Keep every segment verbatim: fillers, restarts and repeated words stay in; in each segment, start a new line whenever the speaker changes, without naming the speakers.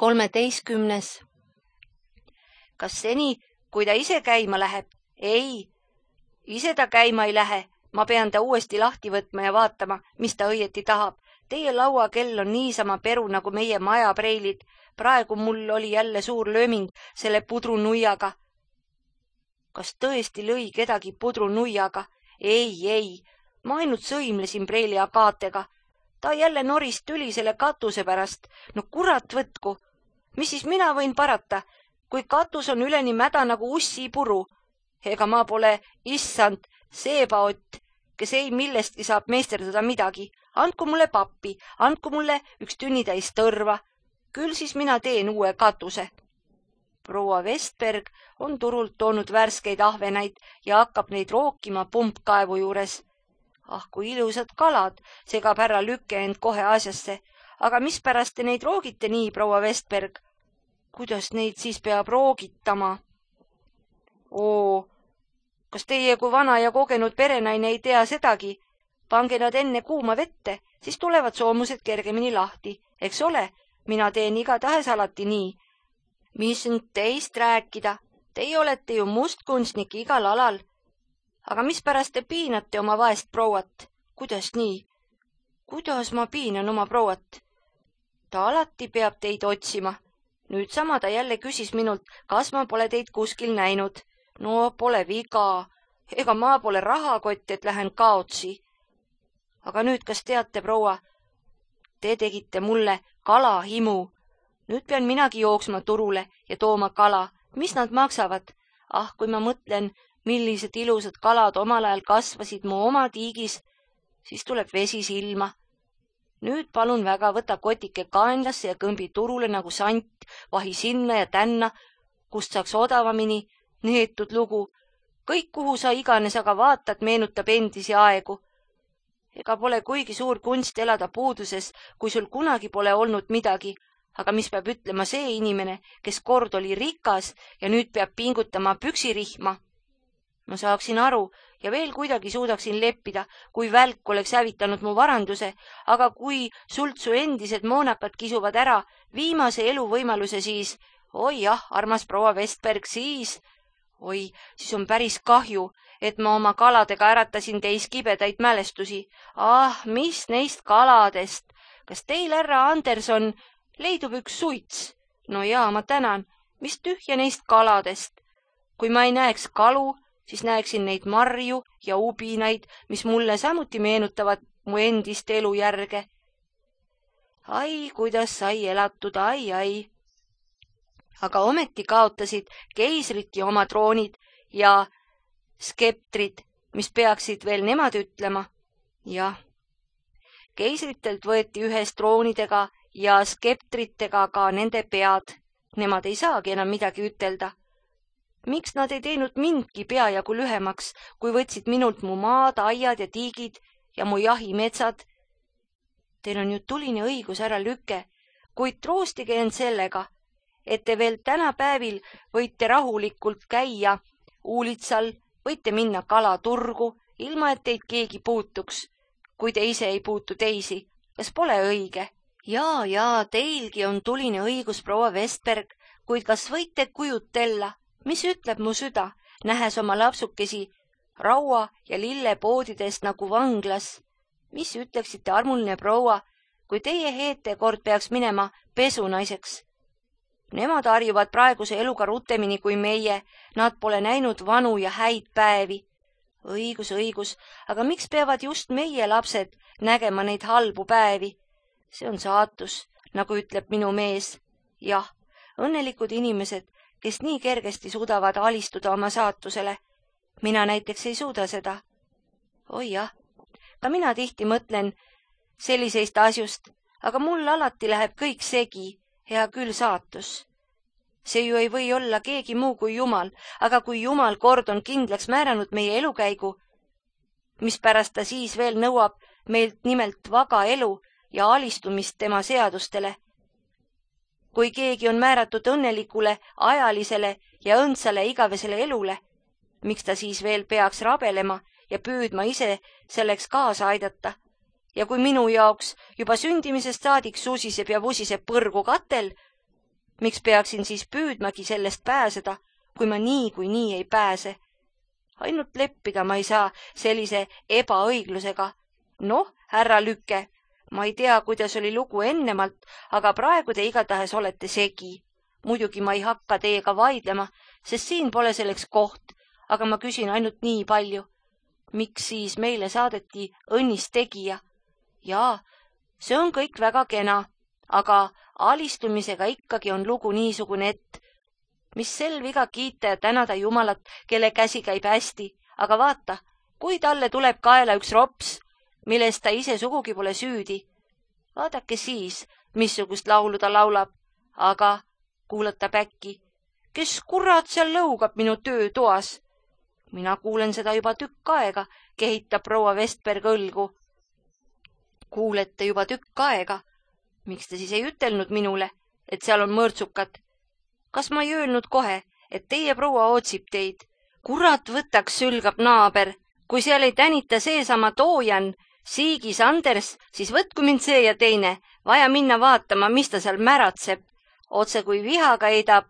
kolmeteistkümnes. Kas seni, kui ta ise käima läheb? Ei, ise ta käima ei lähe. Ma pean ta uuesti lahti võtma ja vaatama, mis ta õieti tahab. Teie lauakell on niisama peru nagu meie majapreilid. Praegu mul oli jälle suur lööming selle pudrunuiaga. Kas tõesti lõi kedagi pudrunuiaga? Ei, ei, ma ainult sõimlesin preili akaatega. Ta jälle norist tüli selle katuse pärast. No kurat võtku. Mis siis mina võin parata, kui katus on üleni mäda nagu ussi puru? Ega ma pole issand seebaott, kes ei millestki saab meisterdada midagi. Andku mulle pappi, andku mulle üks tünnitäis tõrva. Küll siis mina teen uue katuse. Proua Vestberg on turult toonud värskeid ahvenaid ja hakkab neid rookima pumpkaevu juures. Ah, kui ilusad kalad, segab härra Lükke end kohe asjasse. Aga mispärast te neid roogite nii, proua Vestberg? Kuidas neid siis peab roogitama? Oo, kas teie kui vana ja kogenud perenaine ei tea sedagi? Pange nad enne kuuma vette, siis tulevad soomused kergemini lahti. Eks ole, mina teen igatahes alati nii. Mis nüüd teist rääkida? Teie olete ju mustkunstnik igal alal. Aga mispärast te piinate oma vaest prouat? Kuidas nii? Kuidas ma piinan oma prouat? Ta alati peab teid otsima. Nüüd sama ta jälle küsis minult, kas ma pole teid kuskil näinud. No pole viga. Ega ma pole rahakott, et lähen kaotsi. Aga nüüd, kas teate, proua, te tegite mulle kalahimu. Nüüd pean minagi jooksma turule ja tooma kala. Mis nad maksavad? Ah, kui ma mõtlen, millised ilusad kalad omal ajal kasvasid mu oma tiigis, siis tuleb vesi silma. Nüüd palun väga, võta kotike kaenlasse ja kõmbi turule nagu sant, vahi sinna ja tänna, kust saaks odavamini, neetud lugu. Kõik, kuhu sa iganes aga vaatad, meenutab endisi aegu. Ega pole kuigi suur kunst elada puuduses, kui sul kunagi pole olnud midagi. Aga mis peab ütlema see inimene, kes kord oli rikas ja nüüd peab pingutama püksirihma? Ma saaksin aru ja veel kuidagi suudaksin leppida, kui välk oleks hävitanud mu varanduse, aga kui sult su endised moonakad kisuvad ära viimase eluvõimaluse, siis, oi jah, armas proua Vestberg, siis, oi, siis on päris kahju, et ma oma kaladega äratasin teis kibedaid mälestusi. Ah, mis neist kaladest? Kas teil, härra Anderson, leidub üks suits? No jaa, ma tänan. Mis tühja neist kaladest? Kui ma ei näeks kalu, siis näeksin neid marju ja ubinaid, mis mulle samuti meenutavad mu endist elujärge. Ai, kuidas sai elatud, ai, ai. Aga ometi kaotasid keisriti oma troonid ja skeptrid, mis peaksid veel nemad ütlema. Jah, keisritelt võeti ühes troonidega ja skeptritega ka nende pead. Nemad ei saagi enam midagi ütelda. Miks nad ei teinud mindki peajagu lühemaks, kui võtsid minult mu maad, aiad ja tiigid ja mu jahimetsad? Teil on ju tuline õigus, härra Lükke, kuid troostige end sellega, et te veel tänapäevil võite rahulikult käia uulitsal, võite minna kalaturgu, ilma et teid keegi puutuks, kui te ise ei puutu teisi. Kas pole õige? Jaa, jaa, teilgi on tuline õigus, proua Vestberg, kuid kas võite kujutella, mis ütleb mu süda, nähes oma lapsukesi raua ja lillepoodidest nagu vanglas? Mis ütleksite, armuline proua, kui teie heete kord peaks minema pesunaiseks? Nemad harjuvad praeguse eluga rutemini kui meie, nad pole näinud vanu ja häid päevi. Õigus, õigus, aga miks peavad just meie lapsed nägema neid halbu päevi? See on saatus, nagu ütleb minu mees. Jah, õnnelikud inimesed, kes nii kergesti suudavad alistuda oma saatusele. Mina näiteks ei suuda seda. Oi jah, ka mina tihti mõtlen selliseist asjust, aga mul alati läheb kõik segi, hea küll saatus. See ju ei või olla keegi muu kui Jumal, aga kui Jumal kord on kindlaks määranud meie elukäigu, mispärast ta siis veel nõuab meilt nimelt vaga elu ja alistumist tema seadustele. Kui keegi on määratud õnnelikule, ajalisele ja õndsale igavesele elule, miks ta siis veel peaks rabelema ja püüdma ise selleks kaasa aidata? Ja kui minu jaoks juba sündimisest saadik susiseb ja vusiseb põrgu katel, Miks peaksin siis püüdmagi sellest pääseda, kui ma nii kui nii ei pääse? Ainult leppida ma ei saa sellise ebaõiglusega. Noh, härra Lükke, ma ei tea, kuidas oli lugu ennemalt, aga praegu te igatahes olete segi. Muidugi ma ei hakka teiega vaidlema, sest siin pole selleks koht, aga ma küsin ainult nii palju. Miks siis meile saadeti õnnis tegija? Jaa, see on kõik väga kena, aga alistumisega ikkagi on lugu niisugune, et mis sel viga kiita ja tänada Jumalat, kelle käsi käib hästi, aga vaata, kui talle tuleb kaela üks rops, millest ta ise sugugi pole süüdi. Vaadake siis, missugust laulu ta laulab, aga kuulatab äkki, kes kurat seal lõugab minu töötoas? Mina kuulen seda juba tükk aega, kehitab proua Vestberg õlgu. Kuulete juba tükk aega? Miks te siis ei ütelnud minule, et seal on mõrtsukad? Kas ma ei öelnud kohe, et teie proua ootsib teid? Kurat võtaks, sülgab naaber. Kui seal ei tänita seesama Toojan, Siigis Anders, siis võtku mind see ja teine. Vaja minna vaatama, mis ta seal märatseb. Otse kui vihaga heidab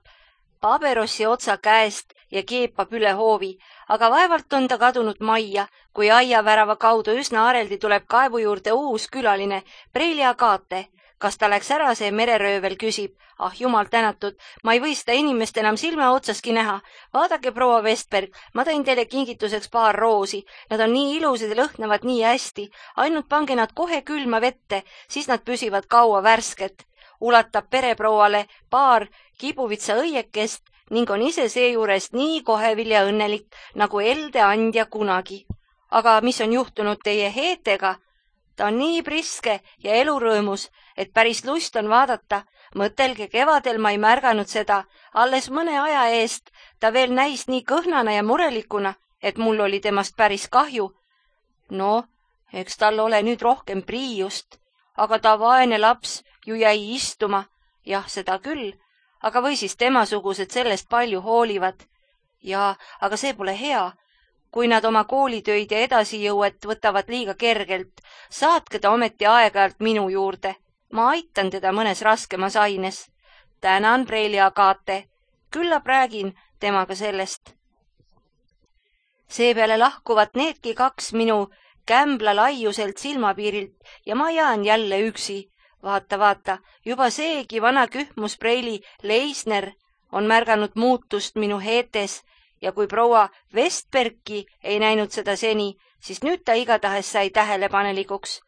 paberossi otsa käest ja keepab üle hoovi, aga vaevalt on ta kadunud majja, kui aiavärava kaudu üsna areldi tuleb kaevu juurde uus külaline, Preili Agate. Kas ta läks ära, see mereröövel küsib. Ah, jumal tänatud, ma ei või seda inimest enam silme otsaski näha. Vaadake, proua Vestberg, ma tõin teile kingituseks paar roosi. Nad on nii ilusad ja lõhnavad nii hästi. Ainult pange nad kohe külma vette, siis nad püsivad kaua värsket. Ulatab pereprouale paar kibuvitsa õiekest ning on ise seejuures nii kohevil ja õnnelik, nagu elde andja kunagi. Aga mis on juhtunud teie Heetega? Ta on nii priske ja elurõõmus, et päris lust on vaadata. Mõtelge, kevadel ma ei märganud seda. Alles mõne aja eest ta veel näis nii kõhnana ja murelikuna, et mul oli temast päris kahju. No, eks tal ole nüüd rohkem priiust, aga ta vaene laps ju jäi istuma. Jah, seda küll, aga või siis temasugused sellest palju hoolivad. Ja, aga see pole hea. Kui nad oma koolitöid ja edasijõuet võtavad liiga kergelt, saatke ta ometi aeg-ajalt minu juurde. Ma aitan teda mõnes raskemas aines. Tänan, Preili Agate. Küllap räägin temaga sellest. Seepeale lahkuvad needki kaks minu kämbla laiuselt silmapiirilt ja ma jään jälle üksi. Vaata, vaata, juba seegi vana kühmus Preili Leisner on märganud muutust minu Heetes. Ja kui proua Vestbergi ei näinud seda seni, siis nüüd ta igatahes sai tähelepanelikuks.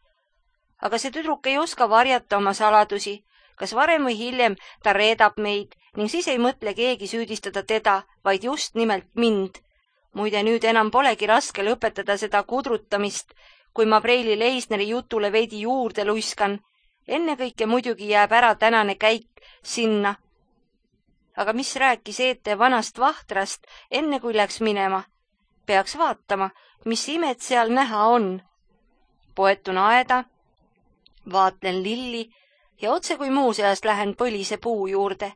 Aga see tüdruk ei oska varjata oma saladusi. Kas varem või hiljem ta reedab meid ning siis ei mõtle keegi süüdistada teda, vaid just nimelt mind. Muide, nüüd enam polegi raske lõpetada seda kudrutamist, kui ma Preili Leisneri jutule veidi juurde luiskan. Ennekõike muidugi jääb ära tänane käik sinna. Aga mis rääkis Eete vanast vahtrast, enne kui läks minema? Peaks vaatama, mis imed seal näha on. Poetun aeda, vaatlen lilli ja otse kui muuseas lähen põlise puu juurde.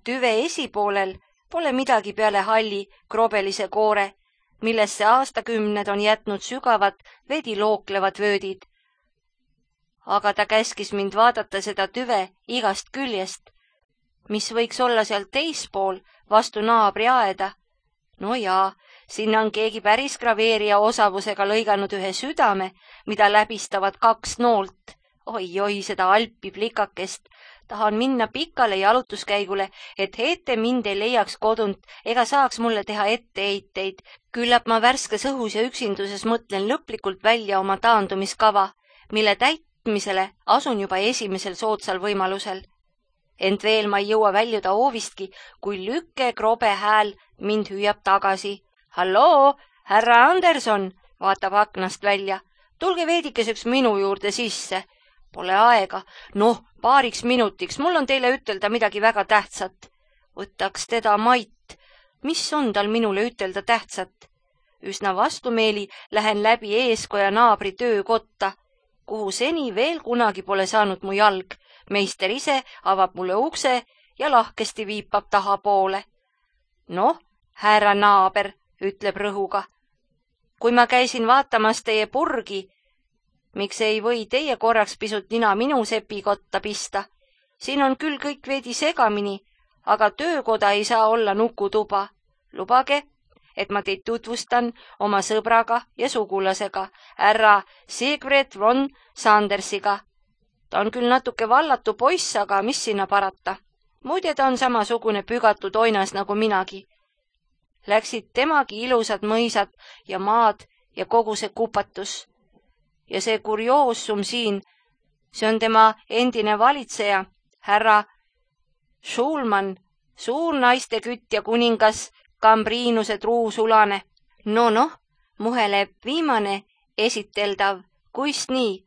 Tüve esipoolel pole midagi peale halli krobelise koore, millesse aastakümned on jätnud sügavad vedi looklevad vöödid. Aga ta käskis mind vaadata seda tüve igast küljest, mis võiks olla seal teispool vastu naabri aeda. No jaa, sinna on keegi päris graveerija osavusega lõiganud ühe südame, mida läbistavad kaks noolt. Oi-oi, seda alpi plikakest. Tahan minna pikale jalutuskäigule, et Heete mind ei leiaks kodunt ega saaks mulle teha etteheiteid. Küllap ma värskes õhus ja üksinduses mõtlen lõplikult välja oma taandumiskava, mille täitmisele asun juba esimesel soodsal võimalusel. Ent veel ma ei jõua väljuda oovistki, kui Lükke krobe hääl mind hüüab tagasi. Halloo, härra Anderson, vaatab aknast välja. Tulge veidikeseks minu juurde sisse. Pole aega. Noh, paariks minutiks. Mul on teile ütelda midagi väga tähtsat. Võtaks teda Mait. Mis on tal minule ütelda tähtsat? Üsna vastumeeli lähen läbi eeskoja naabri töökotta, kuhu seni veel kunagi pole saanud mu jalg. Meister ise avab mulle ukse ja lahkesti viipab tahapoole. Noh, härra naaber, ütleb rõhuga. Kui ma käisin vaatamas teie purgi, miks ei või teie korraks pisut nina minu sepikotta pista? siin on küll kõik veidi segamini, aga töökoda ei saa olla nukutuba. Lubage, et ma teid tutvustan oma sõbraga ja sugulasega, härra Sigrid von Sandersiga. Ta on küll natuke vallatu poiss, aga mis sinna parata. Muide, ta on samasugune pügatud oinas nagu minagi. Läksid temagi ilusad mõisad ja maad ja kogu see kupatus. Ja see kurioosum siin, see on tema endine valitseja, härra Schulman, suur naistekütt ja kuningas Kambriinuse truusulane. No noh, muheleb viimane esiteldav, kuis nii?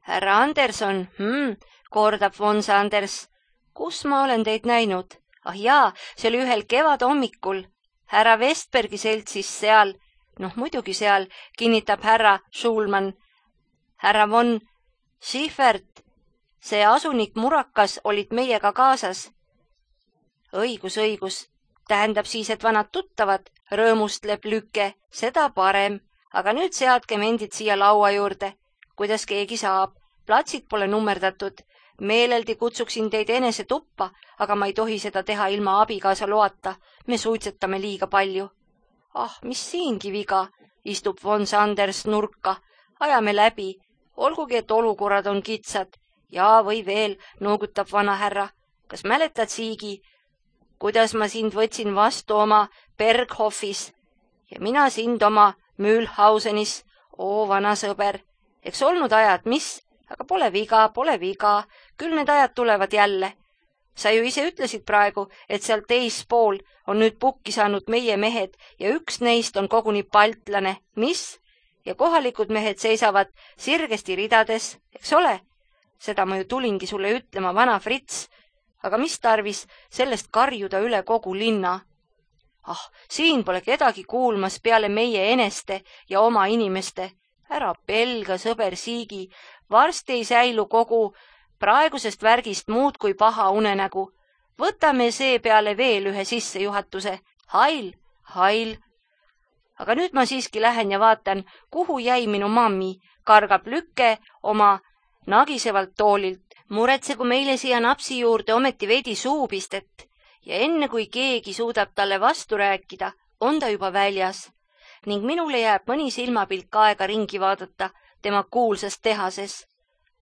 Härra Anderson, hmm, kordab von Sanders. Kus ma olen teid näinud? Ah jaa, see oli ühel kevad hommikul. Härra Vestbergi seltsis seal, noh muidugi seal, kinnitab härra Schulman. Härra von Schiffert, see asunik Murakas olid meiega kaasas. Õigus, õigus. Tähendab siis, et vanad tuttavad, rõõmustleb Lükke, seda parem. Aga nüüd seadkem endid siia laua juurde. Kuidas keegi saab? Platsid pole nummerdatud. Meeleldi kutsuksin teid enese tuppa, aga ma ei tohi seda teha ilma abikaasa loata. Me suitsetame liiga palju. Ah, mis siingi viga, istub von Sanders nurka. Ajame läbi, olgugi, et olukorrad on kitsad. Jaa, või veel, noogutab vana härra. Kas mäletad, Siigi, kuidas ma sind võtsin vastu oma Berghofis ja mina sind oma Mühlhausenis? Oo, vana sõber, eks olnud ajad, mis? Aga pole viga, pole viga, küll need ajad tulevad jälle. Sa ju ise ütlesid praegu, et seal teispool on nüüd pukki saanud meie mehed ja üks neist on koguni baltlane. Mis? Ja kohalikud mehed seisavad sirgesti ridades, eks ole? Seda ma ju tulingi sulle ütlema, vana Fritz. Aga mis tarvis sellest karjuda üle kogu linna? Ah, siin pole kedagi kuulmas peale meie eneste ja oma inimeste. Ära pelga, sõber Siigi, varsti ei säilu kogu praegusest värgist muud kui paha unenägu. Võtame see peale veel ühe sissejuhatuse. Hail, hail. Aga nüüd ma siiski lähen ja vaatan, kuhu jäi minu mammi, kargab Lükke oma nagisevalt toolilt. Muretsegu meile siia napsi juurde ometi veidi suupistet ja enne kui keegi suudab talle vastu rääkida, on ta juba väljas ning minule jääb mõni silmapilk aega ringi vaadata tema kuulsas tehases.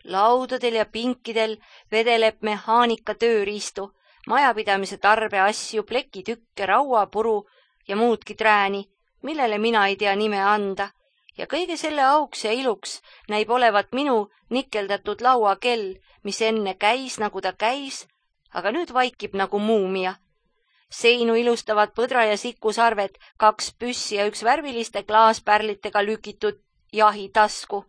Laudadel ja pinkidel vedeleb mehaanika tööriistu, majapidamise tarbeasju, plekitükke, rauapuru ja muudki trääni, millele mina ei tea nime anda. Ja kõige selle auks ja iluks näib olevat minu nikeldatud lauakell, mis enne käis nagu ta käis, aga nüüd vaikib nagu muumia. Seinu ilustavad põdra ja sikusarved, kaks püssi ja üks värviliste klaaspärlitega lükitud jahitasku.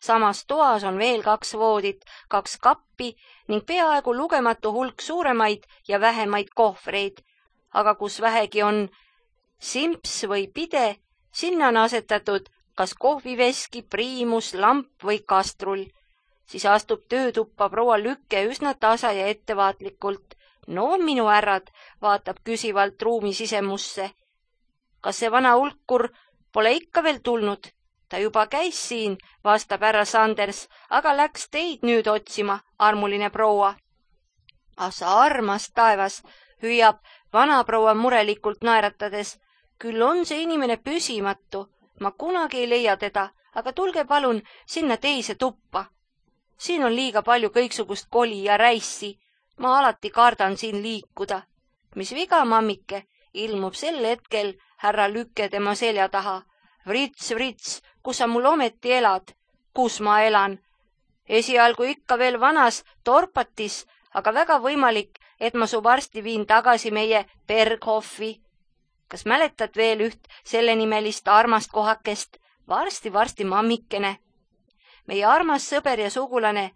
Samas toas on veel kaks voodit, kaks kappi ning peaaegu lugematu hulk suuremaid ja vähemaid kohvreid. Aga kus vähegi on simps või pide, sinna on asetatud kas kohviveski, priimus, lamp või kastrull. Siis astub töötuppa proua Lükke üsna tasa ja ettevaatlikult. No, minu härrad, vaatab küsivalt ruumi sisemusse. Kas see vana ulkur pole ikka veel tulnud? Ta juba käis siin, vastab härra Sanders, aga läks teid nüüd otsima, armuline proua. Ah, sa armas taevas, hüüab vana proua murelikult naeratades. Küll on see inimene püsimatu. Ma kunagi ei leia teda, aga tulge palun sinna teise tuppa. Siin on liiga palju kõiksugust koli ja räissi. Ma alati kardan siin liikuda. Mis viga, mammike, ilmub sel hetkel härra Lükke tema selja taha. Vrits, vrits, kus sa mul ometi elad? Kus ma elan? Esialgu ikka veel vanas Torpatis, aga väga võimalik, et ma su varsti viin tagasi meie Berghofi. Kas mäletad veel üht sellenimelist armast kohakest? Varsti, varsti, mammikene. Meie armas sõber ja sugulane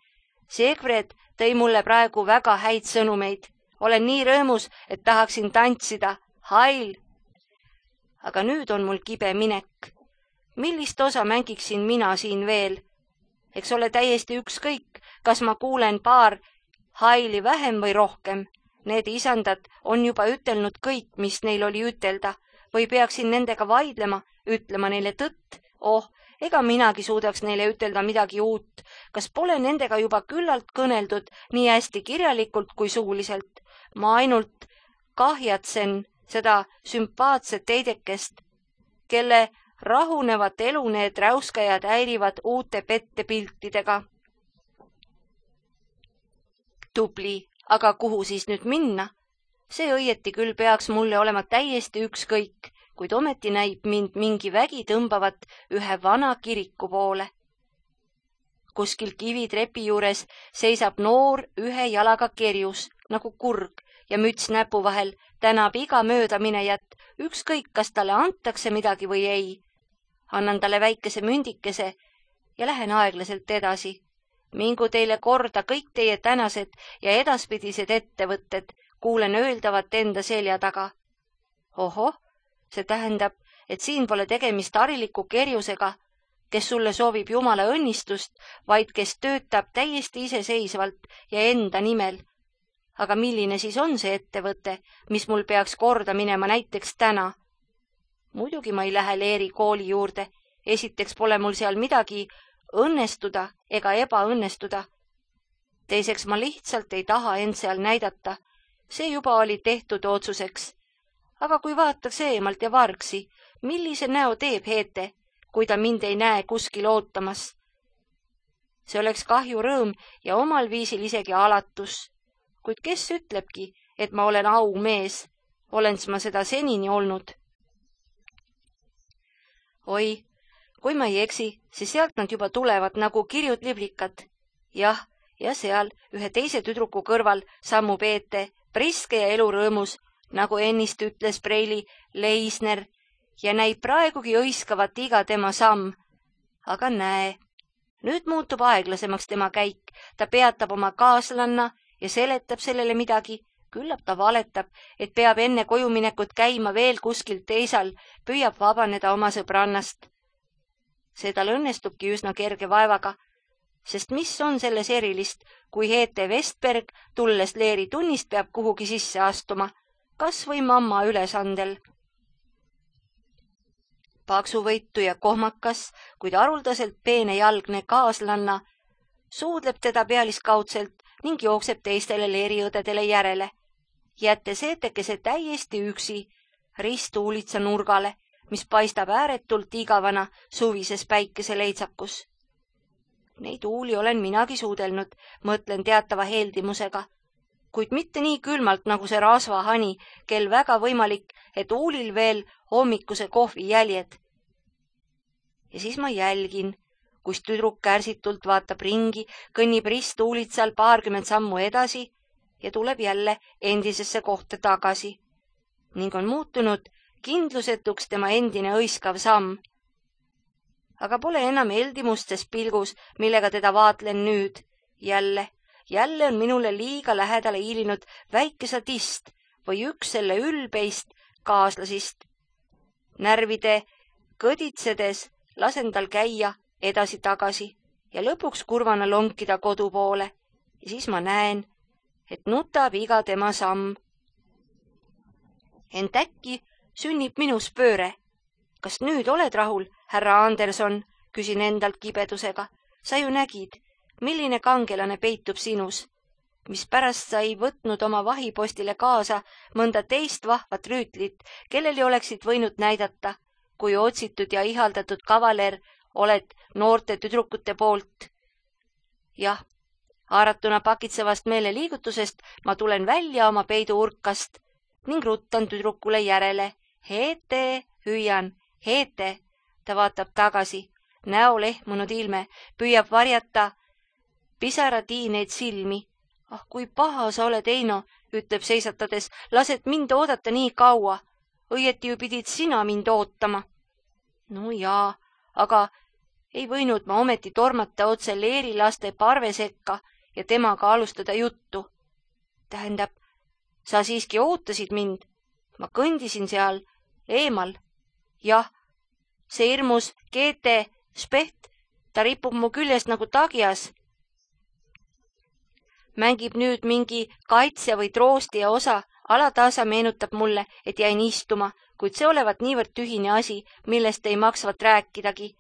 Sigrid tõi mulle praegu väga häid sõnumeid. Olen nii rõõmus, et tahaksin tantsida. Hail! Aga nüüd on mul kibe minek. Millist osa mängiksin mina siin veel? Eks ole täiesti ükskõik, kas ma kuulen paar haili vähem või rohkem. Need isandad on juba ütelnud kõik, mis neil oli ütelda, või peaksin nendega vaidlema, ütlema neile tõtt. Oh, Ega minagi suudaks neile ütelda midagi uut. Kas pole nendega juba küllalt kõneldud nii hästi kirjalikult kui suuliselt? Ma ainult kahjatsen seda sümpaatset teidekest, kelle rahunevat elu need räuskajad häirivad uute pettepiltidega. Tubli, aga kuhu siis nüüd minna? See õieti küll peaks mulle olema täiesti ükskõik, kuid ometi näib mind mingi vägi tõmbavat ühe vana kiriku poole. Kuskil kivitrepi juures seisab noor ühe jalaga kerjus nagu kurg ja müts näpu vahel tänab iga möödaminejat, ükskõik kas talle antakse midagi või ei. Annan talle väikese mündikese ja lähen aeglaselt edasi. Mingu teile korda kõik teie tänased ja edaspidised ettevõtted, kuulen öeldavat enda selja taga. Ohoh, see tähendab, et siin pole tegemist hariliku kerjusega, kes sulle soovib Jumala õnnistust, vaid kes töötab täiesti iseseisvalt ja enda nimel. Aga milline siis on see ettevõte, mis mul peaks korda minema näiteks täna? Muidugi ma ei lähe Leeri kooli juurde, esiteks pole mul seal midagi õnnestuda ega ebaõnnestuda. Teiseks ma lihtsalt ei taha end seal näidata, see juba oli tehtud otsuseks. Aga kui vaataks eemalt ja vargsi, millise näo teeb Heete, kui ta mind ei näe kuskil ootamas? See oleks kahju rõõm ja omal viisil isegi alatus. Kuid kes ütlebki, et ma olen aumees, olens ma seda senini olnud? Oi, kui ma ei eksi, siis sealt nad juba tulevad nagu kirjud liblikad. Jah, ja seal ühe teise tüdruku kõrval sammub Heete, priske ja elurõõmus, nagu ennist ütles Preili Leisner, ja näib praegugi õiskavat iga tema samm. Aga näe, nüüd muutub aeglasemaks tema käik, ta peatab oma kaaslanna ja seletab sellele midagi, küllap ta valetab, et peab enne kojuminekut käima veel kuskil teisal, püüab vabaneda oma sõbrannast. See tal õnnestubki üsna kerge vaevaga, sest mis on selles erilist, kui Heete Vestberg tulles Leeri tunnist peab kuhugi sisse astuma, kas või mamma ülesandel. Paksuvõitu ja kohmakas, kuid haruldaselt peenejalgne kaaslanna suudleb teda pealiskaudselt ning jookseb teistele leeriõdedele järele, jättes Heetekese täiesti üksi ristuulitsa nurgale, mis paistab ääretult igavana suvises päikeseleitsakus. Neid uuli olen minagi suudelnud, mõtlen teatava heldimusega, kuid mitte nii külmalt nagu see rasvahani, kel väga võimalik, et uulil veel hommikuse kohvi jäljed. Ja siis ma jälgin, kus tüdruk kärsitult vaatab ringi, kõnnib ristuulitsal paarkümmend sammu edasi ja tuleb jälle endisesse kohta tagasi. Ning on muutunud kindlusetuks tema endine õiskav samm. Aga pole enam heldimustes pilgus, millega teda vaatlen nüüd. Jälle, jälle on minule liiga lähedale hiilinud väike sadist või üks selle ülbeist kaaslasist. Närvide kõditsedes lasen tal käia edasi-tagasi ja lõpuks kurvana lonkida kodu poole ja siis ma näen, et nutab iga tema samm. Ent äkki sünnib minus pööre. Kas nüüd oled rahul, härra Anderson, küsin endalt kibedusega. Sa ju nägid, milline kangelane peitub sinus, mis pärast sa ei võtnud oma vahipostile kaasa mõnda teist vahvat rüütlit, kellele oleksid võinud näidata, kui otsitud ja ihaldatud kavaler oled noorte tüdrukute poolt. Jah, haaratuna pakitsevast meeleliigutusest ma tulen välja oma peiduurkast ning ruttan tüdrukule järele. Heete, hüüan, Heete, ta vaatab tagasi, näo lehmunud ilme, püüab varjata pisaratiineid silmi. Ah, kui paha sa oled, Eino, ütleb seisatades, lased mind oodata nii kaua. Õieti ju pidid sina mind ootama. No jaa, aga ei võinud ma ometi tormata otse Leeri laste parve sekka ja temaga alustada juttu. Tähendab, sa siiski ootasid mind. Ma kõndisin seal eemal. Jah, see hirmus Geete Specht, ta ripub mu küljest nagu tagias. Mängib nüüd mingi kaitsja või troostija osa, alataasa meenutab mulle, et jäin istuma, kuid see olevat niivõrd tühine asi, millest ei maksvat rääkidagi.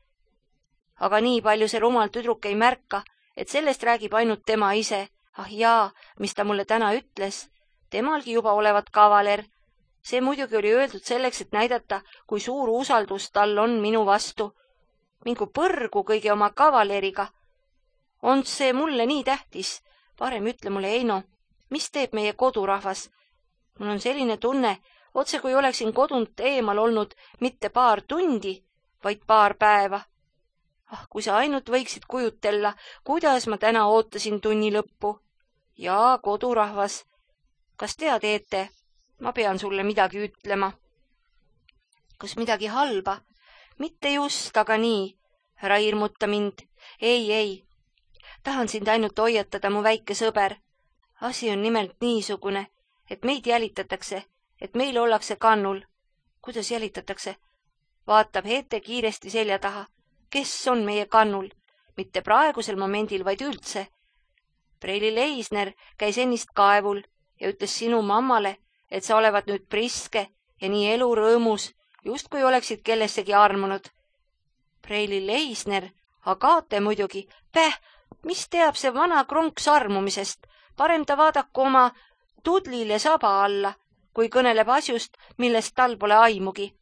aga nii palju see rumal tüdruk ei märka, et sellest räägib ainult tema ise. Ah jaa, mis ta mulle täna ütles, temalgi juba olevat kavaler. See muidugi oli öeldud selleks, et näidata, kui suur usaldus tal on minu vastu. Mingu põrgu kõige oma kavaleriga. On see mulle nii tähtis? Parem ütle mulle, Eino, mis teeb meie kodurahvas? Mul on selline tunne, otse kui oleksin kodunt eemal olnud mitte paar tundi, vaid paar päeva. Ah, kui sa ainult võiksid kujutella, kuidas ma täna ootasin tunni lõppu. Jaa, kodurahvas. Kas tead, Eete, ma pean sulle midagi ütlema. Kas midagi halba? Mitte just, aga nii. Ära hirmuta mind. Ei, ei. Tahan sind ainult hoiatada, mu väike sõber. Asi on nimelt niisugune, et meid jälitatakse, et meil ollakse kannul. Kuidas jälitatakse? Vaatab Heete kiiresti selja taha. Kes on meie kannul? Mitte praegusel momendil, vaid üldse. Preili Leisner käis ennist kaevul ja ütles sinu mammale, et sa olevat nüüd priske ja nii elurõõmus, just kui oleksid kellessegi armunud. Preili Leisner, Agate muidugi, päh, mis teab see vana kronks armumisest, parem ta vaadaku oma tudlile saba alla, kui kõneleb asjust, millest tal pole aimugi.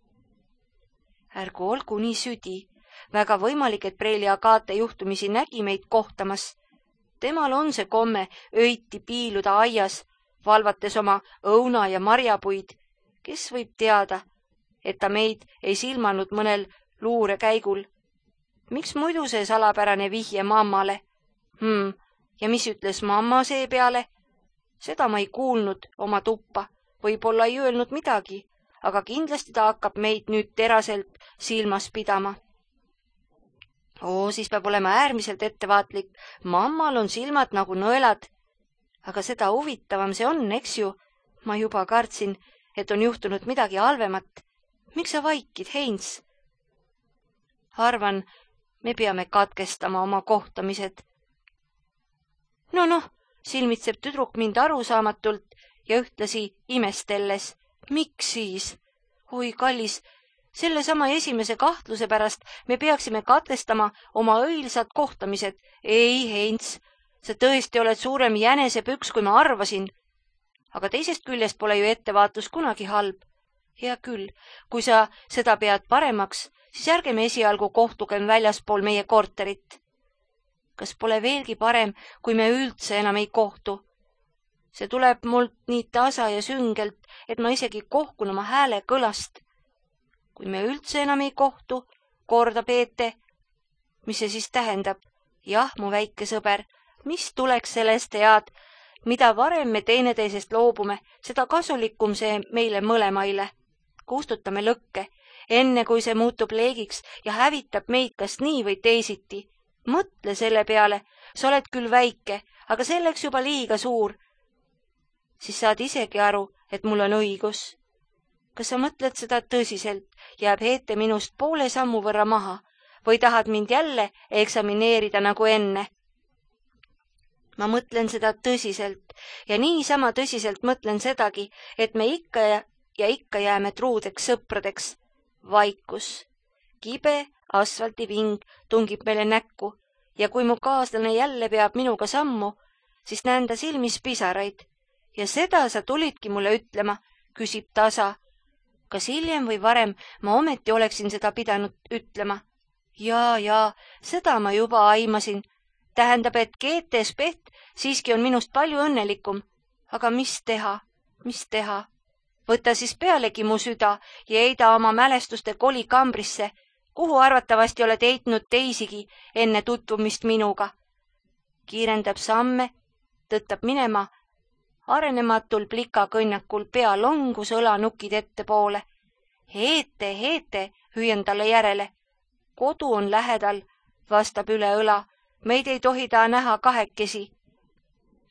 Ärgu olgu nii südi, väga võimalik, et Preili Agate juhtumisi nägi meid kohtamas. Temal on see komme öiti piiluda aias, valvates oma õuna ja marjapuid. Kes võib teada, et ta meid ei silmanud mõnel luure käigul? Miks muidu see salapärane vihje mammale? Hmm, ja mis ütles mamma see peale? Seda ma ei kuulnud oma tuppa, võib-olla ei öelnud midagi, aga kindlasti ta hakkab meid nüüd teraselt silmas pidama. Oo, siis peab olema äärmiselt ettevaatlik. Mammal on silmad nagu nõelad. Aga seda huvitavam see on, eks ju? Ma juba kartsin, et on juhtunud midagi halvemat. Miks sa vaikid, Heinz? Arvan, me peame katkestama oma kohtamised. No noh, silmitseb tüdruk mind arusaamatult ja ühtlasi imestelles. Miks siis? Oi, kallis, selle sama esimese kahtluse pärast me peaksime katkestama oma õilsad kohtamised. Ei, Heinz, sa tõesti oled suurem jänesepüks, kui ma arvasin. Aga teisest küljest pole ju ettevaatus kunagi halb. Hea küll, kui sa seda pead paremaks, siis ärgem esialgu kohtugem väljaspool meie korterit. Kas pole veelgi parem, kui me üldse enam ei kohtu? See tuleb mult nii tasa ja süngelt, et ma isegi kohkun oma hääle kõlast. Kui me üldse enam ei kohtu, kordab Eete. Mis see siis tähendab? Jah, mu väike sõber, mis tuleks sellest head? Mida varem me teineteisest loobume, seda kasulikum see meile mõlemaile. Kustutame lõkke, enne kui see muutub leegiks ja hävitab meid kas nii või teisiti. Mõtle selle peale, sa oled küll väike, aga selleks juba liiga suur. Siis saad isegi aru, et mul on õigus. Kas sa mõtled seda tõsiselt, jääb Heete minust poole sammu võrra maha või tahad mind jälle eksamineerida nagu enne? Ma mõtlen seda tõsiselt ja niisama tõsiselt mõtlen sedagi, et me ikka ja, ja ikka jääme truudeks sõpradeks. Vaikus. Kibe asfaltiving tungib meile näkku ja kui mu kaaslane jälle peab minuga sammu, siis näen ta silmis pisaraid. Ja seda sa tulidki mulle ütlema, küsib tasa. Kas hiljem või varem ma ometi oleksin seda pidanud ütlema? Jaa, jaa, seda ma juba aimasin. Tähendab, et Geete Speth siiski on minust palju õnnelikum. Aga mis teha? Mis teha? Võta siis pealegi mu süda ja heida oma mälestuste kolikambrisse, kuhu arvatavasti oled heitnud teisigi enne tutvumist minuga. Kiirendab samme, tõttab minema, arenematul plikakõnnakul pea longus õlanukid ettepoole. Heete, Heete, hüüan talle järele. Kodu on lähedal, vastab üle õla. Meid ei tohi ta näha kahekesi.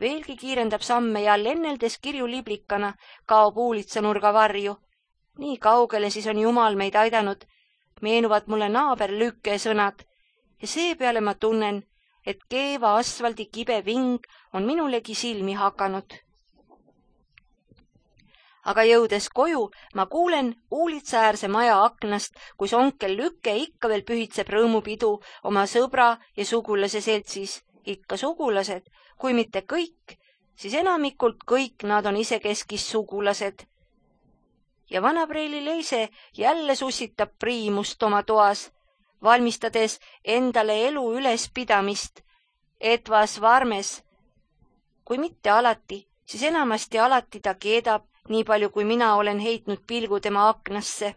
Veelgi kiirendab samme ja lenneldes kirju liblikana kaob uulitsanurga varju. Nii kaugele siis on Jumal meid aidanud. Meenuvad mulle naaber Lükke sõnad ja seepeale ma tunnen, et keeva asfaldi kibe ving on minulegi silmi hakanud. Aga jõudes koju, ma kuulen uulitsaäärse maja aknast, kus onkel Lükke ikka veel pühitseb rõõmupidu oma sõbra ja sugulase seltsis. Ikka sugulased, kui mitte kõik, siis enamikult kõik nad on isekeskis sugulased. Ja vanapreili Leise jälle sussitab priimust oma toas, valmistades endale elu ülespidamist, etvas varmes. Kui mitte alati, siis enamasti alati ta keedab, nii palju kui mina olen heitnud pilgu tema aknasse.